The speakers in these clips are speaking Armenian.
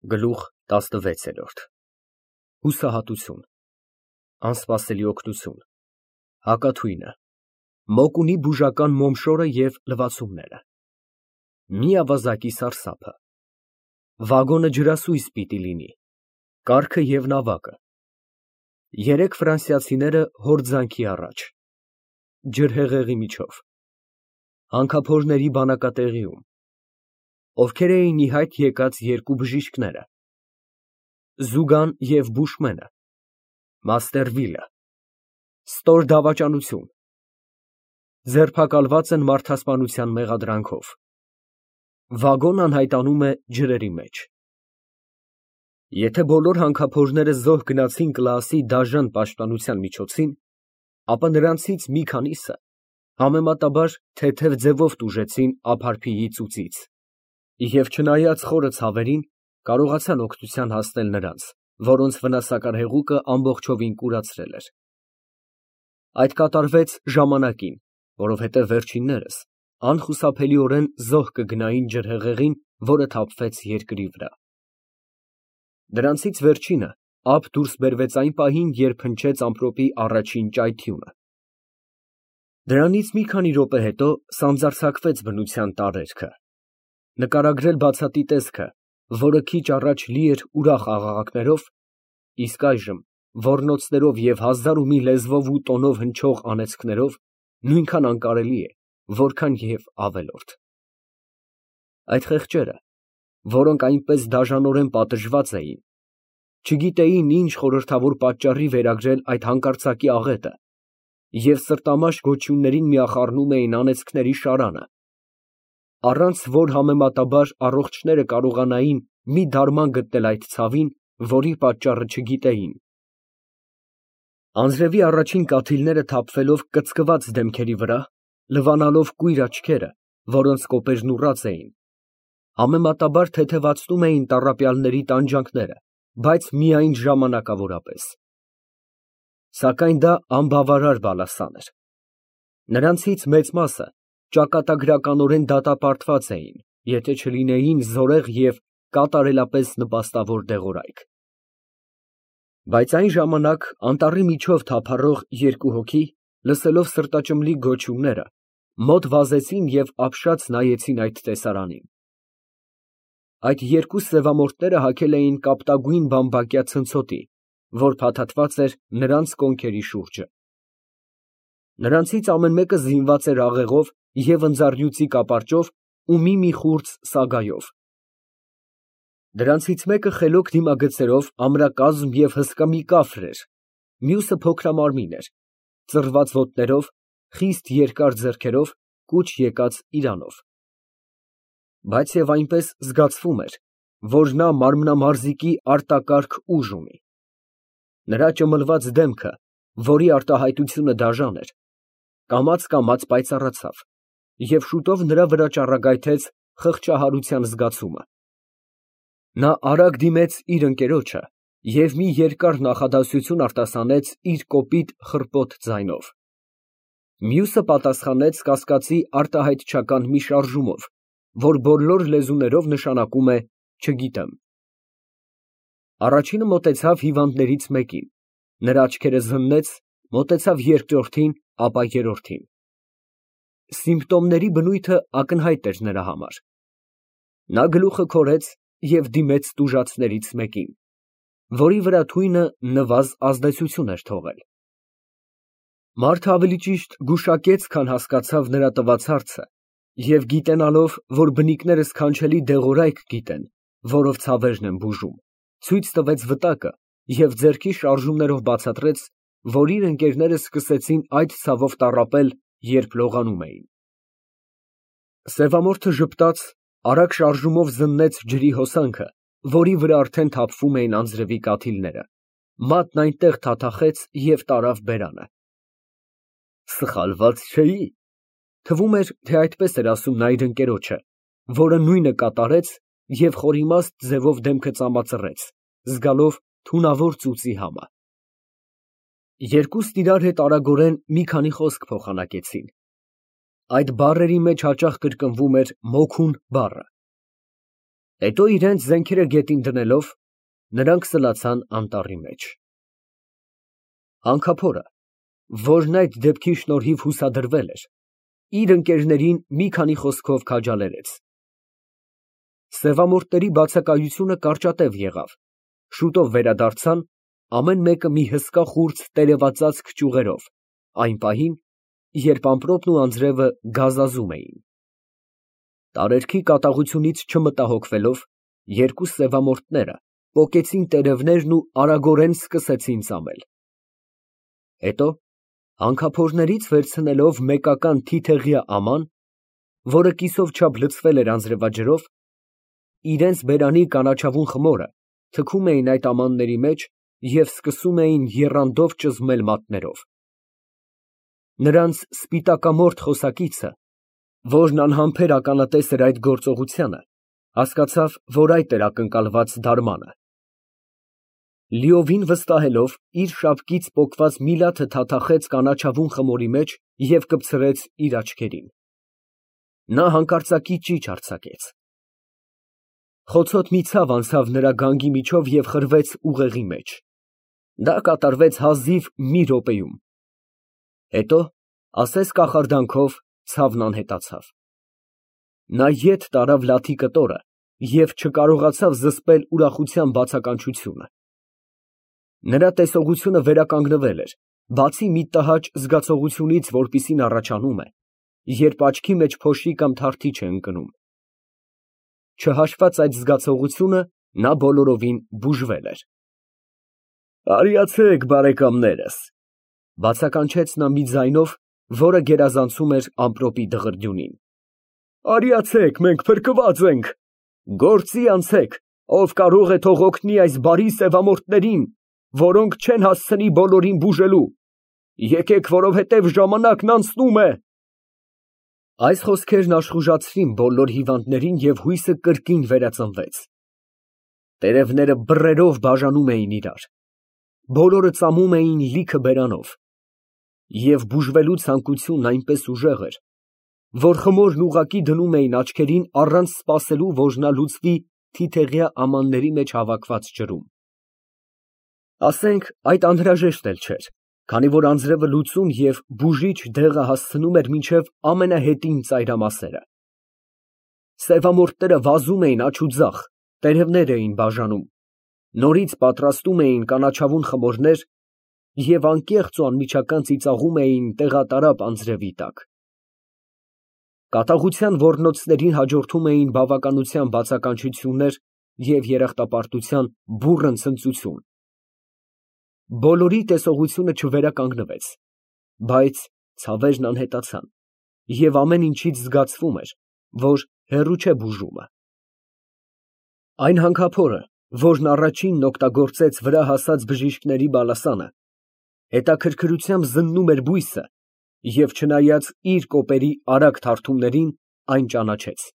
Գլուխ 16 Հուսահատություն, անսպասելի օգնություն, հակաթույնը, մոկունի բուժական մոմշորը և լվացումները, մի ավազակի սարսափը, վագոնը ջրասույզ պիտի լինի, կառքը և նավակը, երեք ֆրանսիացիները հորձանքի առաջ, ջրհեղեղի միջով, հանքափորների բանակատեղիում, ովքեր էին ի հայտ եկած երկու բժիշկները, Զուգան և Բուշմենը, Մաստերվիլը, ստոր դավաճանություն, ձերբակալված են մարդասպանության մեղադրանքով, վագոն անհայտանում է ջրերի մեջ։ Եթե բոլոր հանքափորները զոհ գնացին Կլաասի դաժան պաշտպանության միջոցին, ապա նրանցից մի քանիսը համեմատաբար թեթև ձևով տուժեցին ափարփիի ծուծից և չնայած խորը ցավերին, կարողացան օգնության հասնել նրանց, որոնց վնասակար հեղուկը ամբողջովին կուրացրել էր։ Այդ կատարվեց ժամանակին, որովհետև վերջիններս անխուսափելիորեն զոհ կգնային ջրհեղեղին, որը թափվեց երկրի վրա։ Դրանցից վերջինը ափ դուրս բերվեց այն պահին, երբ հնչեց ամպրոպի առաջին ճայթյունը։ Դրանից մի քանի րոպե հետո սանձարձակվեց բնության տարերքը, նկարագրել բացատի տեսքը, որը քիչ առաջ լի էր ուրախ աղաղակներով, իսկ այժմ ոռնոցներով և հազար ու մի լեզվով ու տոնով հնչող անեծքներով նույնքան անկարելի է, որքան և ավելորդ։ Այդ խեղճերը, որոնք այնպես դաժանորեն պատժված էին, չգիտեին ինչ խորհրդավոր պատճառի վերագրել այդ հանկարծակի աղետը և սրտամաշ գոչյուններին միախառնում էին անեծքների շարանը, առանց որ համեմատաբար առողջները կարողանային մի դարման գտնել այդ ցավին, որի պատճառը չգիտեին։ Անձրևի առաջին կաթիլները թափվելով կծկված դեմքերի վրա, լվանալով կույր աչքերը, որոնց կոպերն ուռած էին, համեմատաբար թեթևացնում էին տառապյալների տանջանքները, բայց միայն ժամանակավորապես։ Սակայն դա անբավարար բալասան էր։ Նրանցից մեծ մասը ճակատագրականորեն դատապարտված էին, եթե չլինեին զորեղ և կատարելապես նպաստավոր դեղորայք։ Բայց այն ժամանակ անտառի միջով թափառող երկու հոգի, լսելով սրտաճմլիկ գոչյունները, մոտ վազեցին և ապշած նայեցին այդ տեսարանին։ Այդ երկու սևամորթները հագել էին կապտագույն բամբակյա ցնցոտի, որ փաթաթված էր նրանց կոնքերի շուրջը։ Նրանցից ամեն մեկը զինված էր աղեղով և ընձառյուծի կապարճով ու մի խուրձ սագայով։ Դրանցից մեկը խելոք դիմագծերով ամրակազմ և հսկա մի կաֆր էր, մյուսը փոքրամարմին էր, ծռված ոտներով, խիստ երկար ձեռքերով, կուչ եկած իրանով։ Բայց և այնպես զգացվում էր, որ նա մարմնամարզիկի արտակարգ ուժ ունի։ Նրա ճմլված դեմքը, որի արտահայտությունը դաժան էր, կամաց պայծառացավ, և շուտով նրա վրա ճառագայթեց խղճահարության զգացումը։ Նա արագ դիմեց իր ընկերոջը և մի երկար նախադասություն արտասանեց իր կոպիտ, խռպոտ ձայնով։ Մյուսը պատասխանեց կասկածի արտահայտչական մի շարժումով, որ բոլոր լեզուներով նշանակում է «չգիտեմ»։ Առաջինը մոտեցավ հիվանդներից մեկին, նրա աչքերը զննեց, մոտեցավ երկրորդին, ապա երրորդին։ Սիմպտոմների բնույթը ակնհայտ էր նրա համար։ Նա գլուխը քորեց և դիմեց տուժածներից մեկին, որի վրա թույնը նվազ ազդեցություն էր թողել։ Մարդը ավելի ճիշտ գուշակեց, քան հասկացավ նրա տված հարցը, և գիտենալով, որ բնիկները սքանչելի դեղորայք գիտեն, որով ցավերն են բուժում, ցույց տվեց վտակը և ձեռքի շարժումներով բացատրեց, որ իր ընկերները սկսեցին այդ ցավով տառապել, երբ լողանում էին։ Սևամորթը ժպտաց, արագ շարժումով զննեց ջրի հոսանքը, որի վրա արդեն թափվում էին անձրևի կաթիլները, մատն այնտեղ թաթախեց և տարավ բերանը։ Սխալված չէի։ Թվում էր, թե այդպես էր ասում նա իր ընկերոջը, որը նույնը կատարեց և խորիմաստ ձևով դեմքը ծամածռեց, զգալով թունավոր ծուծի համը։ Երկուսն իրար հետ արագորեն մի քանի խոսք փոխանակեցին։ Այդ բառերի մեջ հաճախ կրկնվում էր «մոքուն» բառը։ Հետո իրենց զենքերը գետին դնելով, նրանք սլացան անտառի մեջ։ Հանքափորը, որն այդ դեպքի շնորհիվ հուսադրվել էր, իր ընկերներին մի քանի խոսքով քաջալերեց։ Սևամորթների բացակայությունը կարճատև եղավ, շուտով վերադարձան, ամեն մեկը մի հսկա խուրձ տերևածածկ ճյուղերով, այն պահին, երբ ամպրոպն ու անձրևը գազազում էին։ Տարերքի կատաղությունից չմտահոգվելով, երկու սևամորթները պոկեցին տերևներն ու արագորեն սկսեցին ծամել։ Հետո, հանքափորներից վերցնելով մեկական թիթեղյա աման, որը կիսով չափ լցվել էր անձրևաջրով, իրենց բերանի կանաչավուն խմորը թքում էին այդ ամանների մեջ և սկսում էին եռանդով ճզմել մատներով։ Նրանց սպիտակամորթ խոսակիցը, որն անհամբեր ականատես էր այդ գործողությանը, հասկացավ, որ այդ էր ակնկալված դարմանը։ Լիովին վստահելով, իր շապկից պոկված միլաթը թաթախեց կանաչավուն խմորի մեջ և կպցրեց իր աչքերին։ Նա հանկարծակի ճիչ արձակեց։ Խոցոտ մի ցավ անցավ նրա գանգի միջով և խրվեց ուղեղի մեջ։ Դա կատարվեց հազիվ մի րոպեում։ Հետո, ասես կախարդանքով, ցավն անհետացավ։ Նա ետ տարավ լաթի կտորը և չկարողացավ զսպել ուրախության բացականչությունը։ Նրա տեսողությունը վերականգնվել էր, բացի մի տհաճ զգացողությունից, որպիսին առաջանում է, երբ աչքի մեջ փոշի կամ թարթիչ է ընկնում։ Չհաշված այդ զգացողությունը, նա բոլորովին բուժվել էր։ «Արիացեք, բարեկամներս», բացականչեց նա մի ձայնով, որը գերազանցում էր ամպրոպի դղրդյունին։ «Արիացեք, մենք փրկված ենք։ Գործի անցեք, ով կարող է թող օգնի այս բարի սևամորթներին, որոնք չեն հասցնի բոլորին բուժելու։ Եկեք, որովհետև ժամանակն անցնում է»։ Այս խոսքերն աշխուժացրին բոլոր հիվանդներին և հույսը կրկին վերածնվեց։ Տերևները բռերով բաժանում էին իրար։ Բոլորը ծամում էին լիքը բերանով։ Եվ բուժվելու ցանկությունն այնպես ուժեղ էր, որ խմորն ուղղակի դնում էին աչքերին առանց սպասելու, որ նա լուծվի թիթեղյա ամանների մեջ հավաքված ջրում։ Ասենք, այդ անհրաժեշտ էլ չէր, քանի որ անձրևը լուծում և բուժիչ դեղը հասցնում էր մինչև ամենահետին ծայրամասերը։ Սևամորթները վազում էին աջ ու ձախ, տերևներ էին բաժանում, նորից պատրաստում էին կանաչավուն խմորներ և անկեղծ ու անմիջական ծիծաղում էին տեղատարապ անձրևի տակ։ Կատաղության ոռնոցներին հաջորդում էին բավականության բացականչություններ և երախտապարտության բուռն ցնծություն։ Բոլորի տեսողությունը չվերականգնվեց, բայց ցավերն անհետացան, և ամեն ինչից զգացվում էր, որ հեռու չէ բուժումը։ Այն հանքափորը, որն առաջինն օգտագործեց վրա հասած բժիշկների բալասանը, հետաքրքրությամբ զննում էր բույսը և, չնայած իր կոպերի արագ թարթումներին, այն ճանաչեց։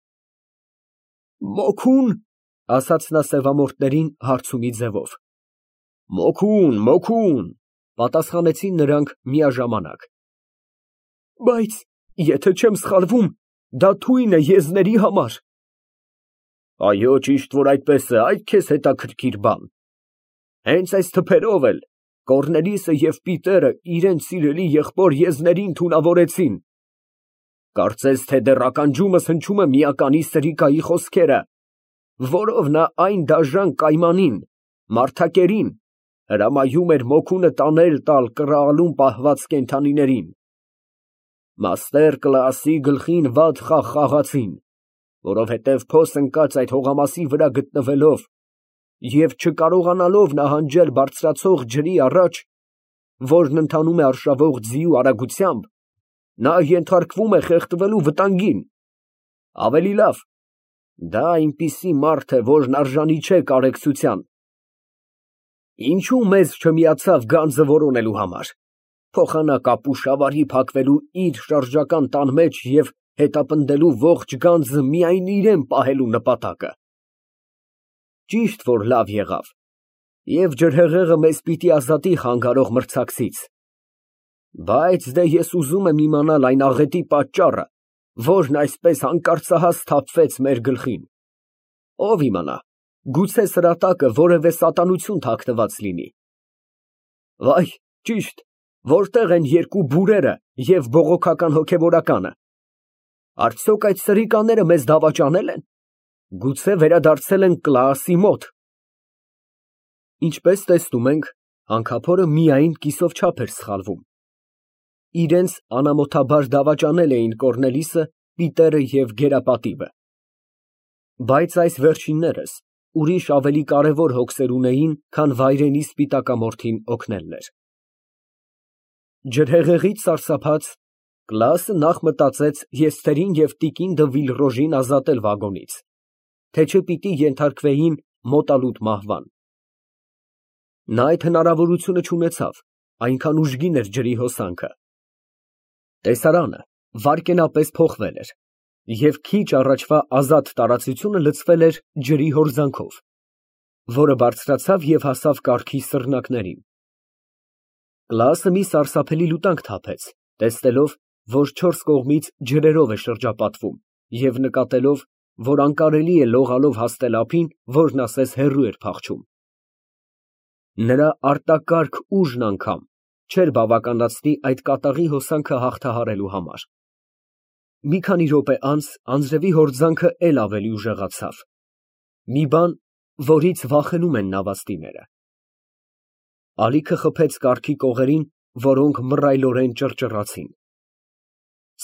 «Մոքո՞ւն», ասաց նա սևամորթներին հարցումի ձևով։ «Մոքուն», պատասխանեցին նրանք միաժամանակ։ Բայց, եթե չեմ սխալվում, դա թույն է եզների համար։ Այո, ճիշտ որ այդպես է, այդ քեզ հետաքրքիր բան։ Հենց այս թփերով էլ Կոռնելիսը և Պիտերը իրենց սիրելի եղբոր եզներին թունավորեցին։ Կարծես թե դեռ ականջումս հնչում է միականի սրիկայի խոսքերը, որով նա այն դաժան կայմանին, մարդակերին, հրամայում էր մոքունը տանել տալ կռահալում պահված կենդանիներին։ Մաստեր Կլաասի գլխին վատ խաղ խաղացին, որովհետև փոս ընկած այդ հողամասի վրա գտնվելով և չկարողանալով նահանջել բարձրացող ջրի առաջ, որն ընթանում է արշավող ձիու արագությամբ, նա ենթարկվում է խեղդվելու վտանգին։ Ավելի լավ, դա այնպիսի մարդ է, որն արժանի չէ կարեկցության։ Ինչո՞ւ մեզ չմիացավ գանձը որոնելու համար, փոխանակ ապուշ ավարի փակվելու իր շարժական տան մեջ և հետապնդելու ողջ գանձը միայն իրան պահելու նպատակը։ Ճիշտ որ լավ եղավ, և ջրհեղեղը մեզ պիտի ազատի խանգարող մրցակցից։ Բայց դե ես ուզում եմ իմանալ այն աղետի պատճառը, որն այսպես հանկարծահաս թափվեց մեր գլխին։ Ով իմանա, գուցե սրա տակը որևէ սատանություն թաքնված լինի։ Վայ, ճիշտ, որտե՞ղ են երկու բուրերը և բողոքական հոգևորականը։ Արդյոք այդ սրիկաները մեզ դավաճանել են։ Գուցե վերադարձել են Կլաասի մոտ։ Ինչպես տեսնում ենք, հանքափորը միայն կիսով չափ էր սխալվում։ Իրենց անամոթաբար դավաճանել էին Կոռնելիսը, Պիտերը և Գերապատիվը։ Բայց այս վերջիններս ուրիշ ավելի կարևոր հոգսեր ունեին, քան վայրենի սպիտակամորթին օգնելն էր։ Ջրհեղեղից սարսափած, Կլաասը նախ մտածեց Եստերին և տիկին դը Վիլռոժին ազատել վագոնից, թե չէ պիտի ենթարկվեին մոտալուտ մահվան։ Նա այդ հնարավորությունը չունեցավ, այնքան ուժգին էր ջրի հոսանքը։ Տեսարանը վայրկենապես փոխվել էր, և քիչ առաջվա ազատ տարածությունը լցվել էր ջրի հորձանքով, որը բարձրացավ և հասավ կառքի սռնակներին։ Կլաասը մի սարսափելի լուտանք թափեց, տեսնելով, որ չորս կողմից ջրերով է շրջապատվում, և նկատելով, որ անկարելի է լողալով հասնել ափին, որն ասես հեռու էր փախչում։ Նրա արտակարգ ուժն անգամ չէր բավականացնի այդ կատաղի հոսանքը հաղթահարելու համար։ Մի քանի րոպե անց անձրևի հորձանքը էլ ավելի ուժեղացավ, մի բան, որից վախենում են նավաստիները։ Ալիքը խփեց կառքի կողերին, որոնք մռայլորեն ճռճռացին։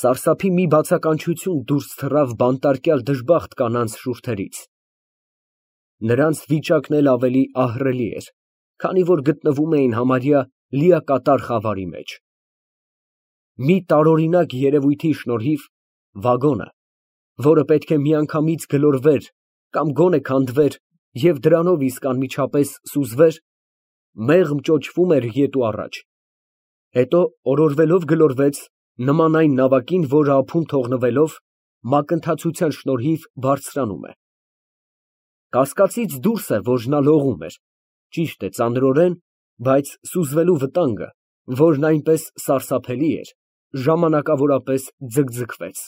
Սարսափի մի բացականչություն դուրս թռավ բանտարկյալ դժբախտ կանանց շուրթերից։ Նրանց վիճակն էլ ավելի ահռելի էր, քանի որ գտնվում էին համարյա լիակատար խավարի մեջ։ Մի տարօրինակ երևույթի շնորհիվ վագոնը, որը պետք է միանգամից գլորվեր կամ գոնե քանդվեր և դրանով իսկ անմիջապես սուզվեր, մեղմ ճոճվում էր ետ ու առաջ, հետո օրորվելով գլորվեց, նման այն նավակին, որը ափում թողնվելով, մակընթացության շնորհիվ բարձրանում է։ Կասկածից դուրս է, որ նա լողում էր, ճիշտ է, ծանրորեն, բայց սուզվելու վտանգը, որն այնպես սարսափելի էր, ժամանակավորապես ձգձգվեց։